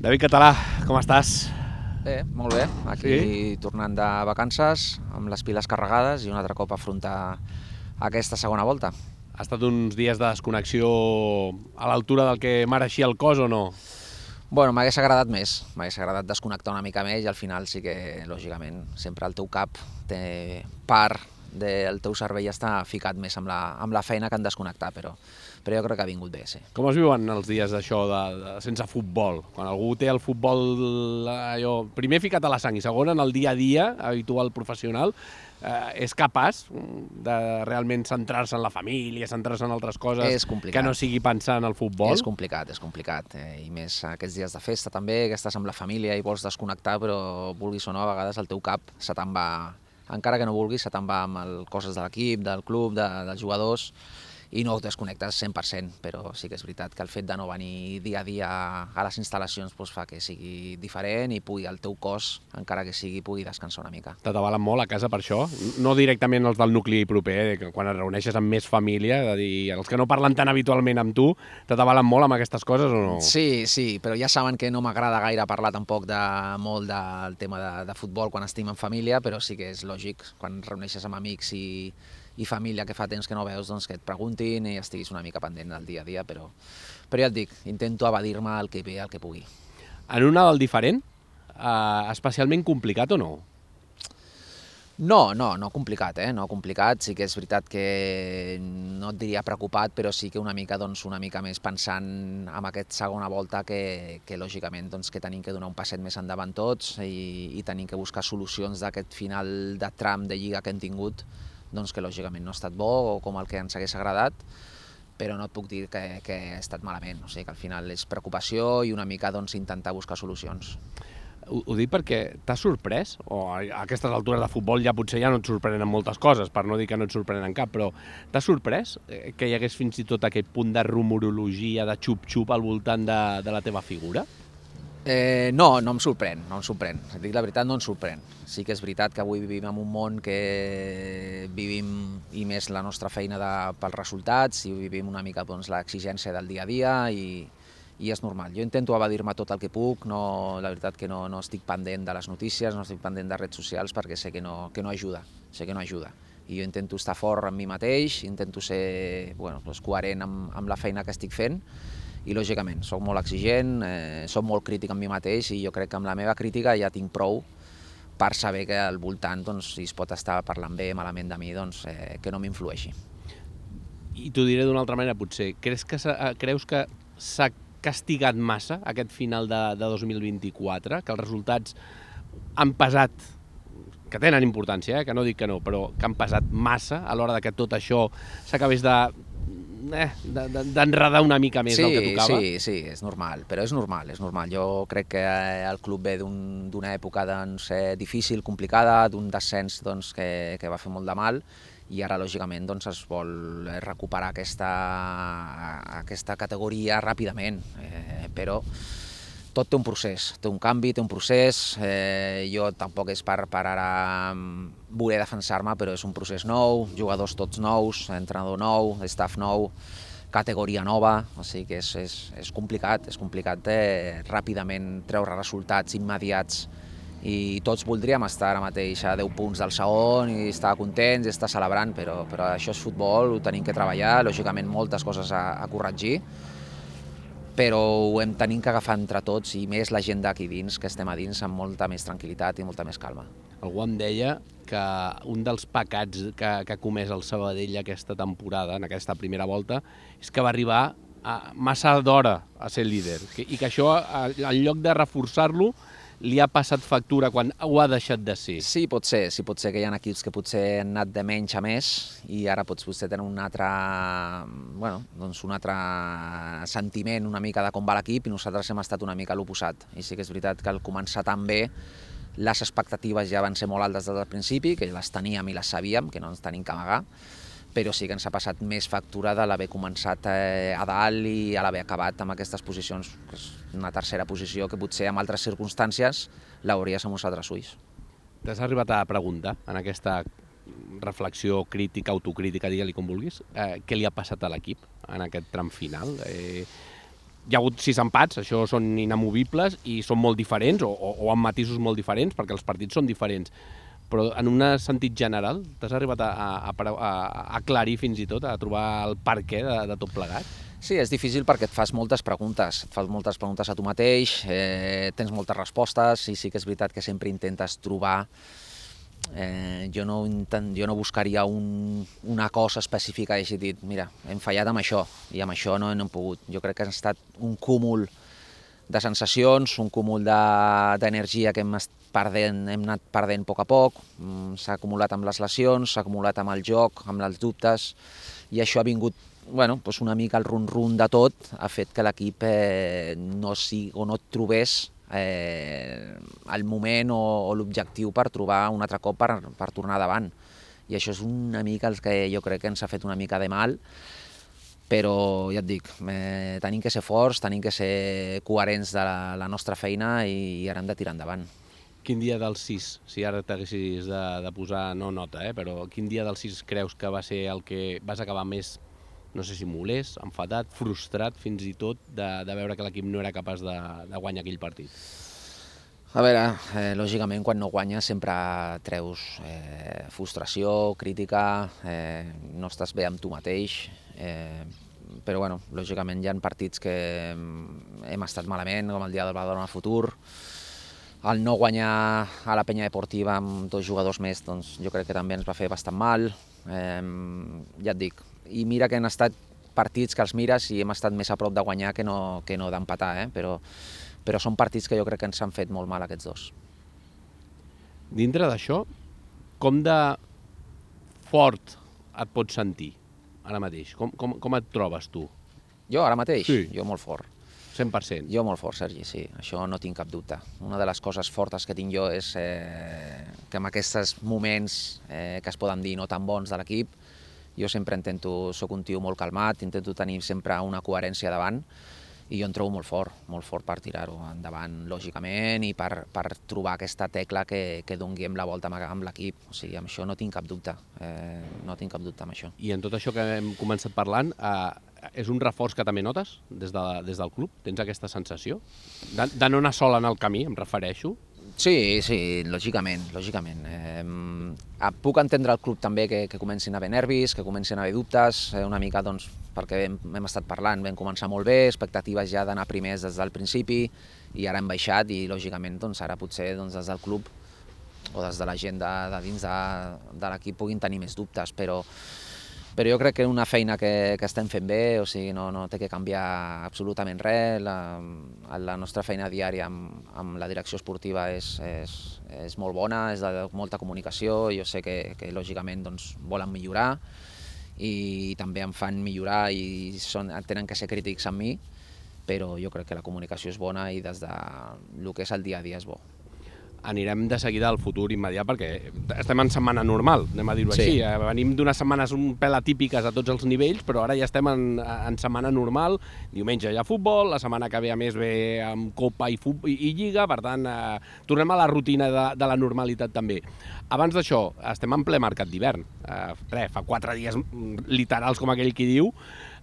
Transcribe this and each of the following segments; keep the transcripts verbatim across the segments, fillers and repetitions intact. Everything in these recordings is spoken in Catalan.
David Català, com estàs? Bé, molt bé. Aquí sí? Tornant de vacances, amb les piles carregades i un altre cop afrontar aquesta segona volta. Ha estat uns dies de desconnexió a l'altura del que mereixia el cos o no? Bueno, m'hagués agradat més, m'hagués agradat desconnectar una mica més i al final sí que, lògicament, sempre el teu cap té part del teu cervell està ficat més amb la, amb la feina que en desconnectar, però, però jo crec que ha vingut bé, sí. Com es viuen els dies d'això de, de, sense futbol? Quan algú té el futbol allò, primer ficat a la sang i segon en el dia a dia habitual professional, eh, és capaç de realment centrar-se en la família, centrar-se en altres coses que no sigui pensar en el futbol? És complicat, és complicat, eh, i més aquests dies de festa també, que estàs amb la família i vols desconnectar, però vulguis o no, a vegades el teu cap se te'n va, encara que no vulguis, se te'n va amb el, coses de l'equip, del club, de, dels jugadors, i no et desconnectes cent per cent, però sí que és veritat que el fet de no venir dia a dia a les instal·lacions doncs fa que sigui diferent i pugui el teu cos, encara que sigui, pugui descansar una mica. T'atabalen molt a casa per això? No directament els del nucli proper, eh? Quan et reuneixes amb més família, és a dir, els que no parlen tan habitualment amb tu, t'atabalen molt amb aquestes coses o no? Sí, sí, però ja saben que no m'agrada gaire parlar tampoc de, molt del tema de, de futbol quan estim en família, però sí que és lògic, quan et reuneixes amb amics i i família que fa temps que no veus, doncs que et preguntin i estiguis una mica pendent del dia a dia, però, però ja et dic, intento evadir-me el que ve, el que pugui. En un Nadal diferent, eh, especialment complicat o no? No, no, no complicat, eh? No complicat, sí que és veritat que no et diria preocupat, però sí que una mica, doncs, una mica més pensant en aquesta segona volta que, que lògicament doncs, que tenim que donar un passet més endavant tots i, i tenim que buscar solucions d'aquest final de tram de lliga que hem tingut, doncs que lògicament no ha estat bo o com el que ens hagués agradat, però no et puc dir que, que ha estat malament, o sigui que al final és preocupació i una mica doncs, intentar buscar solucions. Ho, ho dic perquè t'has sorprès, o a aquestes altures de futbol ja potser ja no et sorprenen moltes coses, per no dir que no et sorprenen cap, però t'has sorprès que hi hagués fins i tot aquest punt de rumorologia, de xup-xup al voltant de, de la teva figura? Eh, no, no em sorprèn, no em sorprèn. Si et dic la veritat, no em sorprèn. Sí que és veritat que avui vivim en un món que vivim, i més la nostra feina de, pels resultats, i vivim una mica doncs, l'exigència del dia a dia, i, i és normal. Jo intento evadir-me tot el que puc, no, la veritat que no, no estic pendent de les notícies, no estic pendent de redes socials, perquè sé que no, que no ajuda, sé que no ajuda. I jo intento estar fort amb mi mateix, intento ser bueno, doncs, coherent amb, amb la feina que estic fent, i lògicament soc molt exigent, eh, soc molt crític amb mi mateix i jo crec que amb la meva crítica ja tinc prou per saber que al voltant, doncs, si es pot estar parlant bé o malament de mi, doncs, eh, que no m'influeixi. I t'ho diré d'una altra manera, potser. Creus que creus que s'ha castigat massa aquest final de, de dos mil vint-i-quatre, que els resultats han pesat, que tenen importància, eh, que no dic que no, però que han pesat massa a l'hora de que tot això s'acabés de Eh, d'enredar una mica més sí, del que tocava? Sí, sí, és normal, però és normal, és normal. Jo crec que el club ve d'una un, època doncs, eh, difícil, complicada, d'un descens doncs, que, que va fer molt de mal, i ara, lògicament, doncs, es vol recuperar aquesta, aquesta categoria ràpidament, eh, però tot té un procés, té un canvi, té un procés, eh, jo tampoc és per, per ara voler defensar-me, però és un procés nou, jugadors tots nous, entrenador nou, staff nou, categoria nova, o sigui que és, és, és complicat, és complicat eh, ràpidament treure resultats immediats i tots voldríem estar ara mateix a deu punts del segon i estar contents i estar celebrant, però, però això és futbol, ho tenim que treballar, lògicament moltes coses a, a corregir, però ho hem tenim que agafar entre tots i més la gent d'aquí dins, que estem a dins amb molta més tranquil·litat i molta més calma. Algú em deia que un dels pecats que, que ha comès el Sabadell aquesta temporada, en aquesta primera volta, és que va arribar a massa d'hora a ser líder i que això, en lloc de reforçar-lo, li ha passat factura quan ho ha deixat de ser. Sí, pot ser, sí, pot ser que hi ha equips que potser han anat de menys a més i ara pots potser tenir un altre, bueno, doncs un altre sentiment una mica de com va l'equip i nosaltres hem estat una mica a l'oposat. I sí que és veritat que al començar tan bé les expectatives ja van ser molt altes des del principi, que les teníem i les sabíem, que no ens tenim que amagar, però sí que ens ha passat més factura de l'haver començat eh, a dalt i a l'haver acabat amb aquestes posicions, que és una tercera posició que potser en altres circumstàncies l'hauries amb uns altres ulls. T'has arribat a preguntar en aquesta reflexió crítica, autocrítica, digue-li com vulguis, eh, què li ha passat a l'equip en aquest tram final? Eh, hi ha hagut sis empats, això són inamovibles i són molt diferents, o, o, o amb matisos molt diferents, perquè els partits són diferents. Però en un sentit general, t'has arribat a, a, a, a aclarir fins i tot, a trobar el per què de, de tot plegat? Sí, és difícil perquè et fas moltes preguntes, et fas moltes preguntes a tu mateix, eh, tens moltes respostes i sí que és veritat que sempre intentes trobar. Eh, jo, no intent, jo no buscaria un, una cosa específica i hagi dit, mira, hem fallat amb això i amb això no, no hem pogut. Jo crec que ha estat un cúmul de sensacions, un cúmul d'energia que hem, perdent, hem anat perdent a poc a poc, s'ha acumulat amb les lesions, s'ha acumulat amb el joc, amb els dubtes, i això ha vingut, bueno, doncs una mica el run-run de tot, ha fet que l'equip eh, no, si, o no trobés eh, el moment o, o l'objectiu per trobar un altre cop per, per tornar davant. I això és una mica el que jo crec que ens ha fet una mica de mal, però ja et dic, eh, tenim que ser forts, tenim que ser coherents de la, la nostra feina i, i ara hem de tirar endavant. Quin dia dels sis, si ara t'haguessis de, de posar, no nota, eh, però quin dia dels sis creus que va ser el que vas acabar més, no sé si molest, enfadat, frustrat fins i tot, de, de veure que l'equip no era capaç de, de guanyar aquell partit? A veure, eh, lògicament quan no guanyes sempre treus eh, frustració, crítica, eh, no estàs bé amb tu mateix, eh, però bueno, lògicament hi ha partits que hem estat malament, com el dia del Badalona Futur. El no guanyar a la Penya Deportiva amb dos jugadors més, doncs jo crec que també ens va fer bastant mal. Eh, ja et dic, i mira que han estat partits que els mires i hem estat més a prop de guanyar que no, que no d'empatar, eh? però, però són partits que jo crec que ens han fet molt mal aquests dos. Dintre d'això, com de fort et pots sentir ara mateix? Com, com, com et trobes tu? Jo ara mateix? Sí. Jo molt fort. cent per cent. Jo molt fort, Sergi, sí, això no tinc cap dubte. Una de les coses fortes que tinc jo és eh, que en aquests moments eh, que es poden dir no tan bons de l'equip, jo sempre intento, soc un tio molt calmat, intento tenir sempre una coherència davant i jo em trobo molt fort, molt fort per tirar-ho endavant, lògicament, i per, per trobar aquesta tecla que, que donguem la volta amb l'equip. O sigui, amb això no tinc cap dubte, eh, no tinc cap dubte amb això. I en tot això que hem començat parlant, eh, és un reforç que també notes des, de, des del club? Tens aquesta sensació? De, de no anar sol en el camí, em refereixo? Sí, sí, lògicament, lògicament. Eh, puc entendre el club també que, que comencin a haver nervis, que comencin a haver dubtes, eh, una mica doncs, perquè hem, hem estat parlant, vam començar molt bé, expectatives ja d'anar primers des del principi i ara hem baixat i lògicament doncs, ara potser doncs, des del club o des de la gent de, de dins de, de l'equip puguin tenir més dubtes, però però jo crec que és una feina que, que estem fent bé, o sigui, no, no té que canviar absolutament res, la, la nostra feina diària amb, amb la direcció esportiva és, és, és molt bona, és de molta comunicació, jo sé que, que lògicament doncs, volen millorar i també em fan millorar i són, tenen que ser crítics amb mi, però jo crec que la comunicació és bona i des de el que és el dia a dia és bo. Anirem de seguida al futur immediat perquè estem en setmana normal, anem a dir-ho així. Sí. Venim d'unes setmanes un pèl atípiques a tots els nivells, però ara ja estem en, en setmana normal. Diumenge hi ha futbol, la setmana que ve a més ve amb Copa i, futbol, i, i Lliga, per tant, eh, tornem a la rutina de, de la normalitat també. Abans d'això, estem en ple mercat d'hivern. Eh, res, fa quatre dies literals, com aquell qui diu,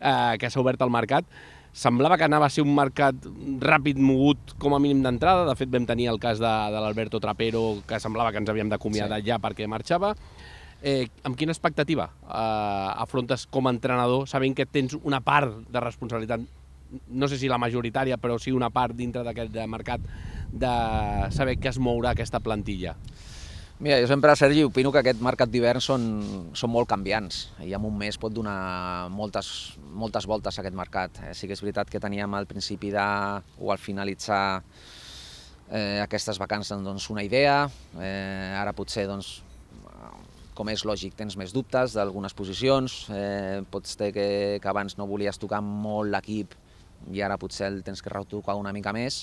eh, que s'ha obert el mercat. Semblava que anava a ser un mercat ràpid, mogut, com a mínim d'entrada. De fet, vam tenir el cas de, de l'Alberto Trapero, que semblava que ens havíem d'acomiadar sí. ja perquè marxava. Eh, amb quina expectativa eh, afrontes com a entrenador, sabent que tens una part de responsabilitat, no sé si la majoritària, però sí una part dintre d'aquest mercat, de saber que es mourà aquesta plantilla? Mira, jo sempre, Sergi, opino que aquest mercat d'hivern són, són molt canviants i en un mes pot donar moltes, moltes voltes a aquest mercat. Eh, sí que és veritat que teníem al principi de, o al finalitzar eh, aquestes vacances doncs, una idea, eh, ara potser, doncs, com és lògic, tens més dubtes d'algunes posicions, eh, pots dir que, que abans no volies tocar molt l'equip i ara potser el tens que retocar una mica més,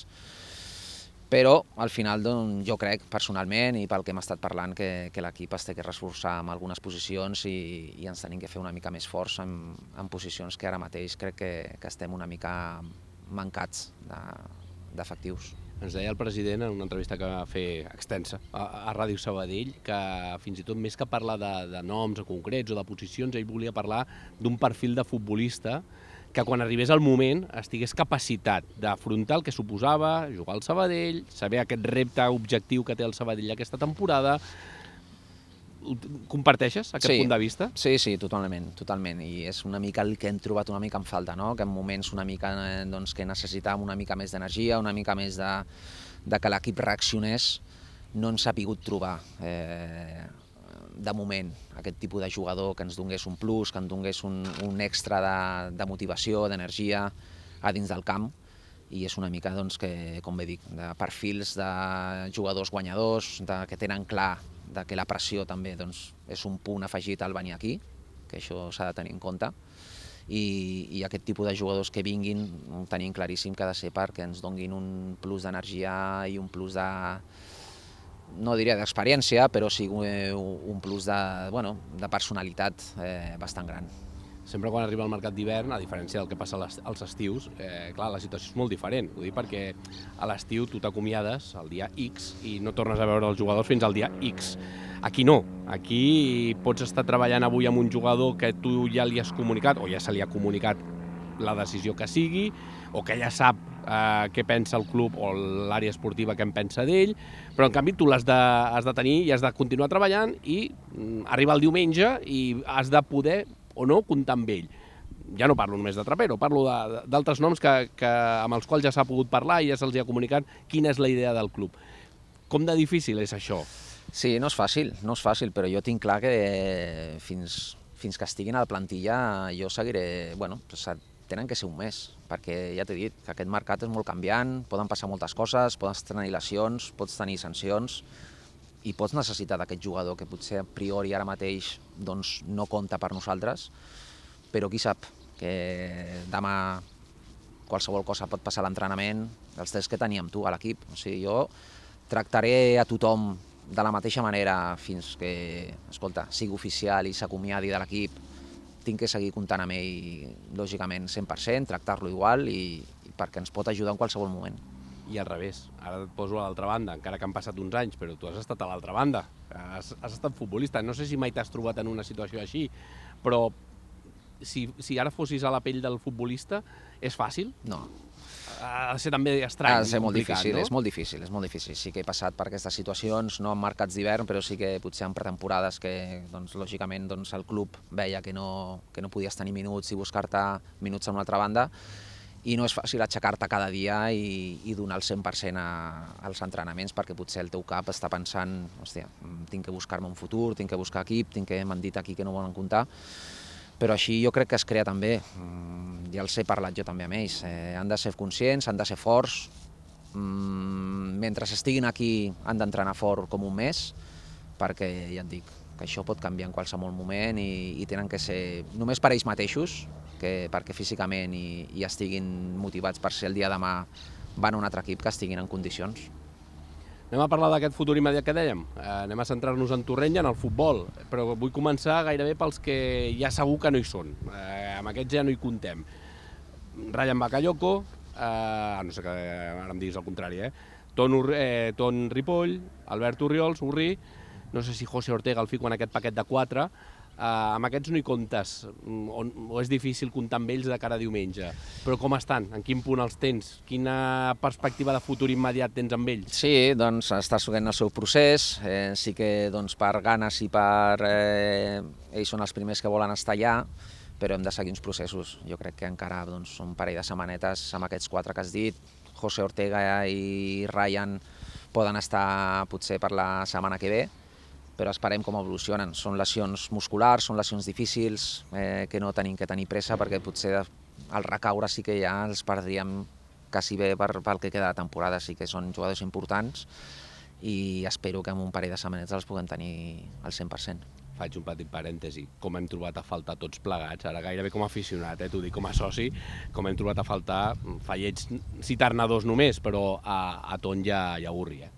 però al final doncs, jo crec personalment i pel que hem estat parlant que, que l'equip es té que reforçar en algunes posicions i, i ens tenim que fer una mica més forts en, en posicions que ara mateix crec que, que estem una mica mancats d'efectius. Ens deia el president en una entrevista que va fer extensa a, a Ràdio Sabadell que fins i tot més que parlar de, de noms concrets o de posicions, ell volia parlar d'un perfil de futbolista que quan arribés el moment estigués capacitat d'afrontar el que suposava jugar al Sabadell, saber aquest repte objectiu que té el Sabadell aquesta temporada. Comparteixes aquest Sí, punt de vista? Sí, sí, totalment, totalment. I és una mica el que hem trobat una mica en falta, no? Que en moments una mica eh, doncs, que necessitàvem una mica més d'energia, una mica més de, de que l'equip reaccionés, no ens ha pogut trobar eh, de moment aquest tipus de jugador que ens donés un plus, que ens donés un, un extra de, de motivació, d'energia a dins del camp. I és una mica, doncs, que, com bé dic, de perfils de jugadors guanyadors, de, que tenen clar de que la pressió també doncs, és un punt afegit al venir aquí, que això s'ha de tenir en compte, i, i aquest tipus de jugadors que vinguin tenim claríssim que ha de ser perquè ens donguin un plus d'energia i un plus de, no diria d'experiència, però sí un plus de, bueno, de personalitat eh, bastant gran. Sempre quan arriba el mercat d'hivern, a diferència del que passa als estius, eh, clar, la situació és molt diferent. Ho dic perquè a l'estiu tu t'acomiades el dia X i no tornes a veure els jugadors fins al dia X. Aquí no. Aquí pots estar treballant avui amb un jugador que tu ja li has comunicat, o ja se li ha comunicat la decisió que sigui, o que ja sap eh, què pensa el club o l'àrea esportiva que en pensa d'ell, però en canvi tu l'has de, has de tenir i has de continuar treballant i mm, arriba el diumenge i has de poder o no comptar amb ell. Ja no parlo només de Trapero, parlo d'altres noms que, que, amb els quals ja s'ha pogut parlar i ja se'ls ha comunicat quina és la idea del club. Com de difícil és això? Sí, no és fàcil, no és fàcil, però jo tinc clar que fins, fins que estiguin a la plantilla jo seguiré, bueno, tenen que ser un mes, perquè ja t'he dit que aquest mercat és molt canviant, poden passar moltes coses, poden tenir lesions, pots tenir sancions, i pots necessitar d'aquest jugador que potser a priori ara mateix doncs, no compta per nosaltres, però qui sap que demà qualsevol cosa pot passar a l'entrenament, els tres que teníem tu a l'equip. O sigui, jo tractaré a tothom de la mateixa manera fins que, escolta, sigui oficial i s'acomiadi de l'equip. Tinc que seguir comptant amb ell, lògicament, cent per cent, tractar-lo igual i, i perquè ens pot ajudar en qualsevol moment. I al revés, ara et poso a l'altra banda, encara que han passat uns anys, però tu has estat a l'altra banda, has, has estat futbolista, no sé si mai t'has trobat en una situació així, però si, si ara fossis a la pell del futbolista, és fàcil? No. Ha de ser també estrany, ha de ser molt difícil, no? És molt difícil, és molt difícil. Sí que he passat per aquestes situacions, no en mercats d'hivern, però sí que potser en pretemporades que, doncs, lògicament, doncs, el club veia que no, que no podies tenir minuts i buscar-te minuts a una altra banda, i no és fàcil aixecar-te cada dia i, i donar el cent per cent a, als entrenaments perquè potser el teu cap està pensant, hòstia, tinc que buscar-me un futur, tinc que buscar equip, tinc que m'han dit aquí que no volen comptar, però així jo crec que es crea també, ja els he parlat jo també amb ells, eh, han de ser conscients, han de ser forts, mentre estiguin aquí han d'entrenar fort com un mes, perquè ja et dic que això pot canviar en qualsevol moment i, i tenen que ser només per ells mateixos, que perquè físicament i, i estiguin motivats per ser el dia de demà van a un altre equip que estiguin en condicions. Anem a parlar d'aquest futur immediat que dèiem. Eh, anem a centrar-nos en Torrent i en el futbol, però vull començar gairebé pels que ja segur que no hi són. Eh, amb aquests ja no hi contem. Ryan Bakayoko, eh, no sé que ara em diguis el contrari, eh? Ton, eh, Ton Ripoll, Albert Orriols, Urri, no sé si José Ortega el fico en aquest paquet de quatre, uh, amb aquests no hi comptes, o, o és difícil comptar amb ells de cara a diumenge, però com estan? En quin punt els tens? Quina perspectiva de futur immediat tens amb ells? Sí, doncs està seguint el seu procés, eh, sí que doncs, per ganes i per... Eh, ells són els primers que volen estar allà, però hem de seguir uns processos. Jo crec que encara doncs, són un parell de setmanetes amb aquests quatre que has dit. José Ortega i Ryan poden estar potser per la setmana que ve, però esperem com evolucionen. Són lesions musculars, són lesions difícils, eh, que no tenim que tenir pressa perquè potser al recaure sí que ja els perdríem quasi bé per, pel que queda de temporada. Sí que són jugadors importants i espero que en un parell de setmanetes els puguem tenir al cent per cent. Faig un petit parèntesi, com hem trobat a faltar tots plegats, ara gairebé com a aficionat, eh, t'ho dic com a soci, com hem trobat a faltar, falleig citar-ne dos només, però a, a Ton i a, i a Urri, eh?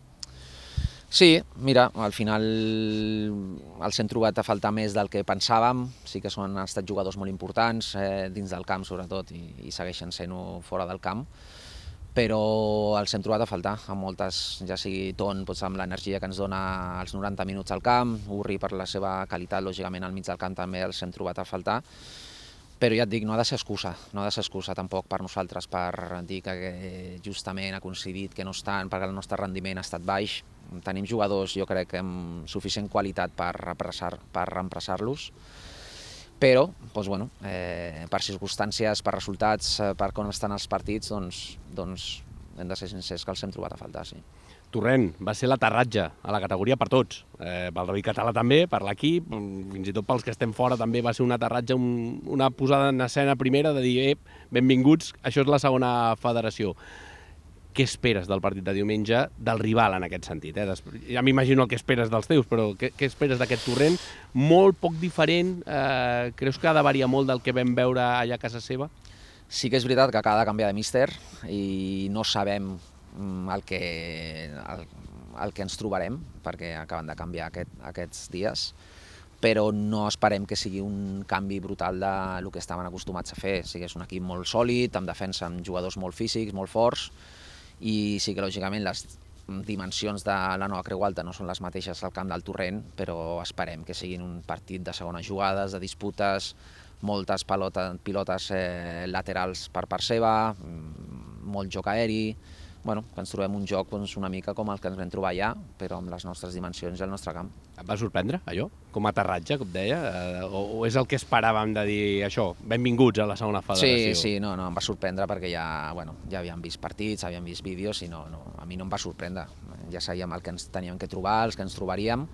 Sí, mira, al final els hem trobat a faltar més del que pensàvem, sí que són, han estat jugadors molt importants, eh, dins del camp sobretot, i, i segueixen sent-ho fora del camp, però els hem trobat a faltar, amb moltes, ja sigui Ton, doncs, amb l'energia que ens dona els noranta minuts al camp, Urri per la seva qualitat, lògicament al mig del camp també els hem trobat a faltar, Però ja et dic, no ha de ser excusa, no ha de ser excusa tampoc per nosaltres per dir que justament ha coincidit que no estan, perquè el nostre rendiment ha estat baix. Tenim jugadors, jo crec, amb suficient qualitat per reemplaçar-los, però doncs, bueno, eh, per circumstàncies, per resultats, per com estan els partits, doncs, doncs hem de ser sincers que els hem trobat a faltar, sí. Torrent, va ser l'aterratge a la categoria per tots, eh, pel rugby català també, per l'equip, fins i tot pels que estem fora també va ser un aterratge, un, una posada en escena primera de dir, eh, benvinguts, això és la segona federació. Què esperes del partit de diumenge, del rival en aquest sentit? Eh? Ja m'imagino el que esperes dels teus, però què, què esperes d'aquest Torrent? Molt poc diferent, eh, creus que ha de variar molt del que vam veure allà a casa seva? Sí que és veritat que acaba de canviar de míster i no sabem el que, el, el que ens trobarem, perquè acaben de canviar aquest, aquests dies, però no esperem que sigui un canvi brutal del que estaven acostumats a fer. O sigui, és un equip molt sòlid, amb defensa, amb jugadors molt físics, molt forts, i sí que lògicament les dimensions de la nova Creu Alta no són les mateixes al camp del Torrent, però esperem que siguin un partit de segones jugades, de disputes, moltes pilotes, pilotes eh, laterals per part seva, molt joc aeri. Bueno, que ens trobem un joc doncs, una mica com el que ens vam trobar allà, però amb les nostres dimensions i el nostre camp. Et va sorprendre, allò? Com a aterratge, com deia? Eh, o, o és el que esperàvem de dir això, benvinguts a la segona federació? Sí, sí, no, no, em va sorprendre perquè ja, bueno, ja havíem vist partits, havíem vist vídeos i no, no, a mi no em va sorprendre. Ja sabíem el que ens teníem que trobar, els que ens trobaríem,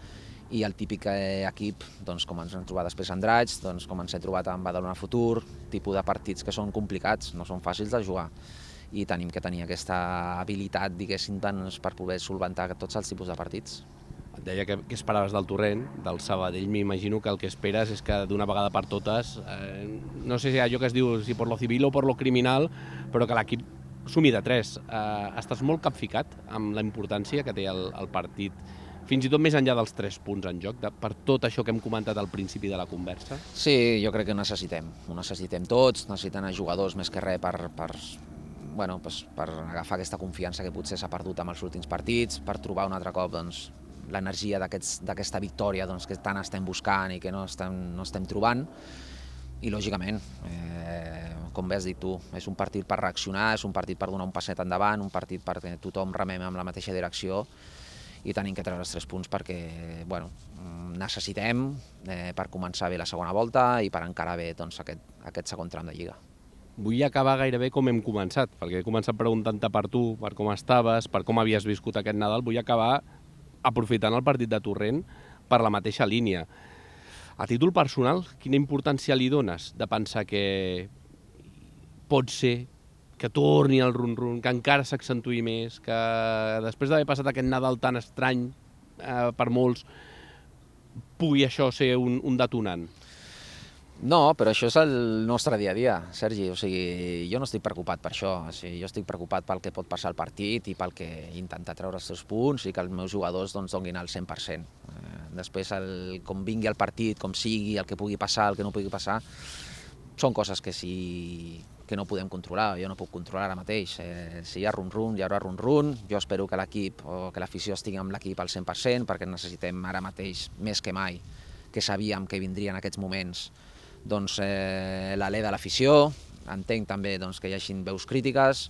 i el típic equip, doncs, com ens hem trobat després a Andratx, doncs, com ens hem trobat amb Badalona Futur, tipus de partits que són complicats, no són fàcils de jugar, i tenim que tenir aquesta habilitat, diguéssim, per poder solventar tots els tipus de partits. Et deia que, que esperaves del Torrent, del Sabadell, m'imagino que el que esperes és que d'una vegada per totes, eh, no sé si allò que es diu si per lo civil o per lo criminal, però que l'equip sumi de tres. Eh, estàs molt capficat amb la importància que té el, el partit, fins i tot més enllà dels tres punts en joc, de, per tot això que hem comentat al principi de la conversa? Sí, jo crec que ho necessitem, ho necessitem tots, necessiten els jugadors més que res per, per, bueno, doncs per agafar aquesta confiança que potser s'ha perdut amb els últims partits, per trobar un altre cop doncs, l'energia d'aquesta victòria doncs, que tant estem buscant i que no estem, no estem trobant. I lògicament, eh, com bé has dit tu, és un partit per reaccionar, és un partit per donar un passet endavant, un partit perquè tothom remem amb la mateixa direcció, i tenim que treure els tres punts perquè bueno, necessitem eh, per començar bé la segona volta i per encarar bé doncs, aquest, aquest segon tram de Lliga. Vull acabar gairebé com hem començat, perquè he començat preguntant-te per tu, per com estaves, per com havies viscut aquest Nadal. Vull acabar aprofitant el partit de Torrent per la mateixa línia. A títol personal, quina importància li dones de pensar que pot ser que torni el run-run, que encara s'accentui més, que després d'haver passat aquest Nadal tan estrany eh, per molts, pugui això ser un, un detonant? No, però això és el nostre dia a dia, Sergi. O sigui, jo no estic preocupat per això. O sigui, jo estic preocupat pel que pot passar al partit i pel que intentar treure els seus punts i que els meus jugadors doncs, donin el cent per cent. Eh, després, el, com vingui el partit, com sigui, el que pugui passar, el que no pugui passar, són coses que, si, que no podem controlar. Jo no puc controlar ara mateix. Eh, si hi ha run-run, hi haurà run-run. Jo espero que l'equip o que l'afició estigui amb l'equip al cent per cent perquè necessitem ara mateix, més que mai, que sabíem que vindrien aquests moments, doncs, eh, l'alè de l'afició. Entenc també doncs, que hi hagi veus crítiques.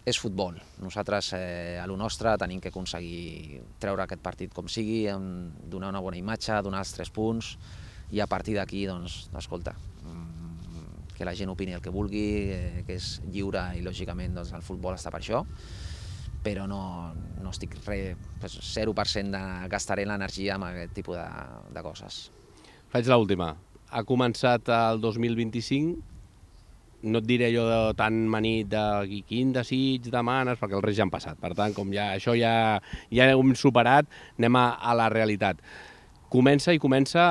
És futbol. Nosaltres, eh, a lo nostre, tenim que aconseguir treure aquest partit com sigui, donar una bona imatge, donar els tres punts, i a partir d'aquí, doncs, escolta, que la gent opini el que vulgui, eh, que és lliure i, lògicament, doncs, el futbol està per això, però no, no estic res, pues, zero per cent de gastaré l'energia amb aquest tipus de, de coses. Faig l'última. Ha començat el dos mil vint-i-cinc, no et diré allò de tan manit de quin desig demanes, perquè els Reis ja han passat. Per tant, com ja, això ja, ja hem superat, anem a, a la realitat. Comença i comença,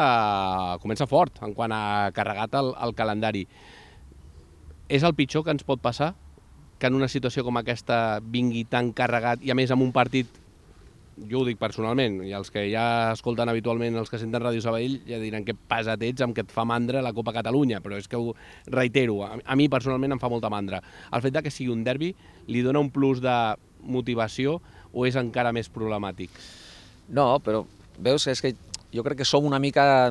comença fort en quant a carregat el, el calendari. És el pitjor que ens pot passar? Que en una situació com aquesta vingui tan carregat i a més amb un partit, jo ho dic personalment, i els que ja escolten habitualment, els que senten Ràdio Sabadell, ja diran que pesat ets amb que et fa mandra la Copa Catalunya, però és que ho reitero, a, a mi personalment em fa molta mandra. El fet de que sigui un derbi li dona un plus de motivació o és encara més problemàtic? No, però veus que és que jo crec que som una mica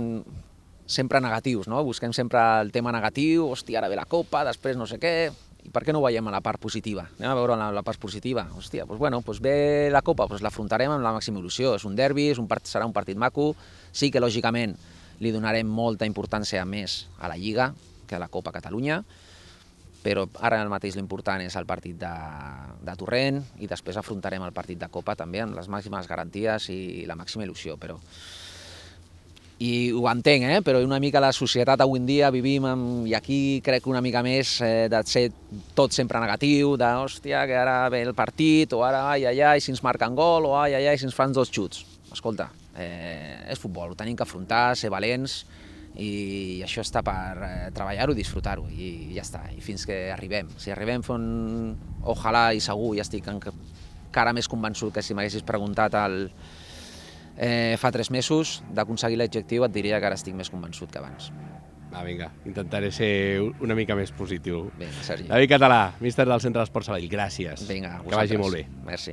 sempre negatius, no? Busquem sempre el tema negatiu, hòstia, ara ve la Copa, després no sé què, i per què no ho veiem a la part positiva? Anem a veure la, la part positiva. Hòstia, doncs bueno, doncs ve la Copa, doncs l'afrontarem amb la màxima il·lusió. És un derbi, és un part, serà un partit maco. Sí que, lògicament, li donarem molta importància més a la Lliga que a la Copa Catalunya, però ara mateix l'important és el partit de, de Torrent i després afrontarem el partit de Copa també amb les màximes garanties i la màxima il·lusió. Però... I ho entenc, eh? Però una mica la societat avui en dia vivim amb, i aquí crec una mica més eh, de ser tot sempre negatiu, de hòstia, que ara ve el partit, o ara ai, ai, ai, si ens marquen gol, o ai, ai, ai, si ens fan dos xuts. Escolta, eh, és futbol, ho tenim que afrontar, ser valents, i això està per eh, treballar-ho i disfrutar-ho, i ja està, i fins que arribem. Si arribem fent, ojalà i segur, ja estic encara més convençut que si m'haguessis preguntat el, eh, fa tres mesos d'aconseguir l'objectiu, et diria que ara estic més convençut que abans. Va, vinga, intentaré ser una mica més positiu. Vinga, Sergi. David Català, míster del Centre d'Esports Sabadell, gràcies. Vinga, que vagi molt bé. Merci.